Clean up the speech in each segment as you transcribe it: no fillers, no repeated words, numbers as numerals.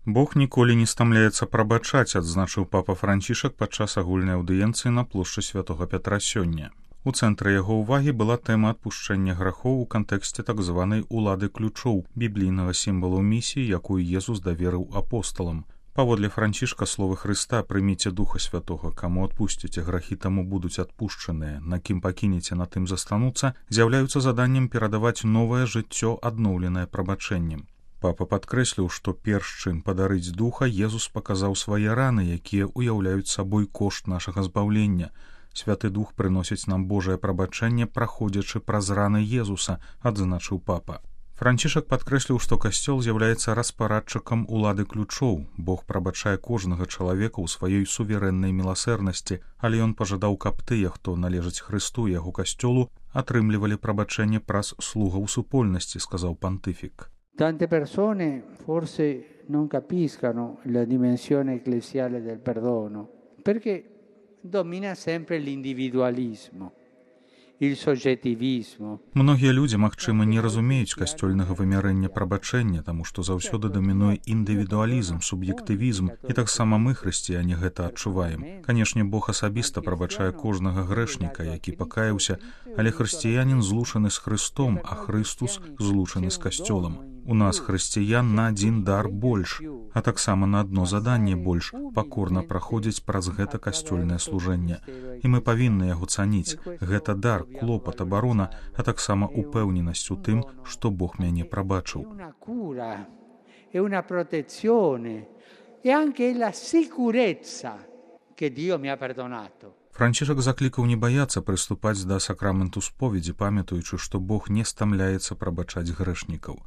Бог ніколі не стамляецца прабачаць, адзначыў папа Францішак падчас агульнай аўдыенцыі на плошчы святога Пятра сёння. У цэнтры яго ўвагі была тэма адпушчэння грахоў у кантэксце так званай улады ключоў, біблійнага сімвалу місіі, якую Езус даверыў апосталам. Паводле Францішка словы Хрыста «Прыміце Духа Святога, каму адпусціце грахі, таму будуць адпушчаныя, на кім пакінеце, на тым застануцца», з'яўляюцца заданнем перадаваць новае жыццё, адноўленае прабачэннем. Папа падкрэсліў, што перш чым падарыць духа, Езус паказаў свае раны, якія ўяўляюць сабой кошт нашага збаўлення. Святы Дух прыносіць нам Божае прабачэнне, праходзячы праз раны Езуса, адзначыў папа. Францішак падкрэсліў, што касцёл з'яўляецца распарадчыкам улады ключоў. Бог прабачае кожнага чалавека ў сваёй суверэннай міласэрнасці, але ён пажадаў, каб тыя, хто належыць Хрысту і яго касцёлу, атрымлівалі прабачэнне праз слугаў супольнасці, сказаў пантыфік. Tante persone forse non capiscono la dimensione ecclesiale del perdono, perché domina sempre l'individualismo, il soggettivismo. Многія людзі, магчыма, не разумеюць касцёльнага вымярэння прабачэння, таму што заўсёды дамінуе індывідуалізм, суб'ектывізм, і таксама мы, хрысціяне, гэта адчуваем. Канешне, Бог асабіста прабачае кожнага грэшніка, які пакаяўся, але хрысціянін злучаны з Хрыстом, а Хрыстус злучаны з касцёлам. У нас, хрысціян, на адзін дар больш, а таксама на адно заданне больш, пакорна праходзіць праз гэта касцёльнае служэнне. І мы павінны яго цаніць. Гэта дар, клопат, абарона, а таксама упэўненасць у тым, што Бог мяне прабачыў. È una protezione e anche la sicurezza che Dio mi ha perdonato. Францішак заклікаў не баяцца прыступаць да сакраменту споведзі, памятаючы, што Бог не стамляецца прабачаць грэшнікаў.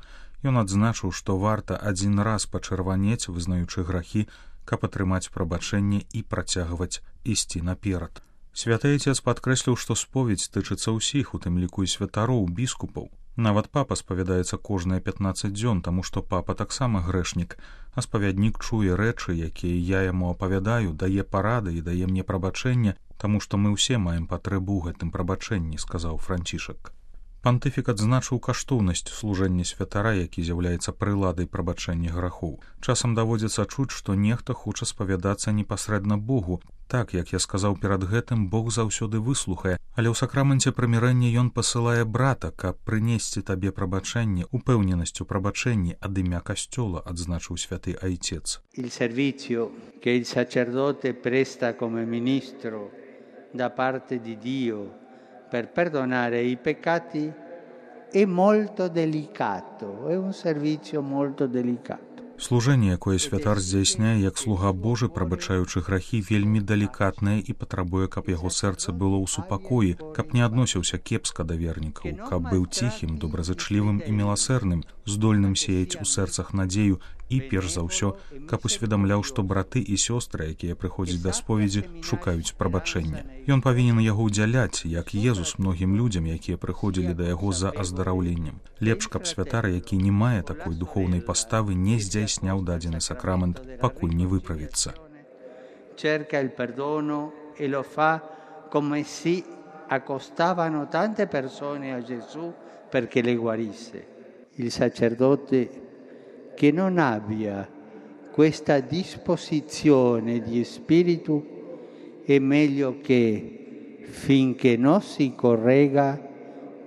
Ён адзначыў, што варта адзін раз пачырванець, вызнаючы грахі, каб атрымаць прабачэнне і працягваць ісці наперад. Святы Айцец падкрэсліў, што споведзь тычыцца ўсіх, у тым ліку і святароў, біскупаў. Нават папа спавядаецца кожныя 15 дзён, таму што папа таксама грэшнік, а спавяднік чуе рэчы, якія я яму апавядаю, дае парады і дае мне прабачэнне, таму што мы ўсе маем патрэбу ў гэтым прабачэнні, сказаў Францішак. Пантыфік адзначыў каштоўнасць служэння святара, які з'яўляецца прыладай прабачэння грахоў. Часам даводзіцца чуць, што нехта хоча спавядацца непасрэдна Богу. Так, як я сказаў перад гэтым, Бог заўсёды выслухае, але ў сакраменце прымірэння ён пасылае брата, каб прынесці табе прабачэнне, упэўненасць у прабачэнні ад імя касцёла, адзначыў святы Айцец. Il servizio che il sacerdote presta come ministro da parte di Dio per perdonare i peccati è molto delicato, è un servizio molto delicato. Служэнне, якое святар здзяйсняе як слуга Божы, прабачаючы грахі, вельмі далікатнае і патрабуе, каб яго сэрца было ў супакоі, каб не адносіўся кепска да вернікаў, каб быў ціхім, добразычлівым і міласэрным, здольным сеяць у сэрцах надзею і, перш за ўсё, каб усведамляў, што браты і сёстры, якія прыходзяць да споведзі, шукаюць прабачэння. Ён павінен яго ўдзяляць, як Езус многім людзям, якія прыходзілі да яго за аздараўленнем. Лепш, каб святар, які не мае такой духоўнай паставы, не здзяйсняў дадзены сакрамент, пакуль не выправіцца. Cerca il perdono e lo fa come si accostavano tante persone a Gesù perché le guarisse. Il sacerdote che non abbia questa disposizione di spirito è meglio che finché non si corregga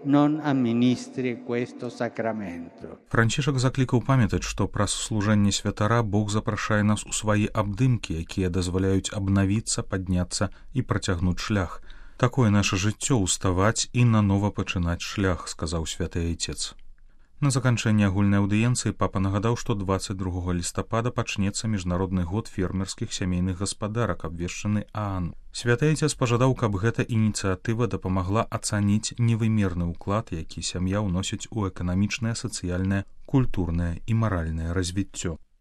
non amministri questo sacramento. Францішак заклікаў памятаць, што праз служэнне святара Бог запрашае нас у свае абдымкі, якія дазваляюць абнавіцца, падняцца і працягнуць шлях. Такое наша жыццё — уставаць і нанова пачынаць шлях, сказаў святы Айцец. На заканчэнне агульнай аўдыенцыі папа нагадаў, што 22 лістапада пачнецца міжнародны год фермерскіх сямейных гаспадарак, абвешчаны ААН. Святы Айцец пажадаў, каб гэта ініцыятыва дапамагла ацаніць невымерны ўклад, які сям'я ўносіць у эканамічнае, сацыяльнае, культурнае і маральнае развіццё.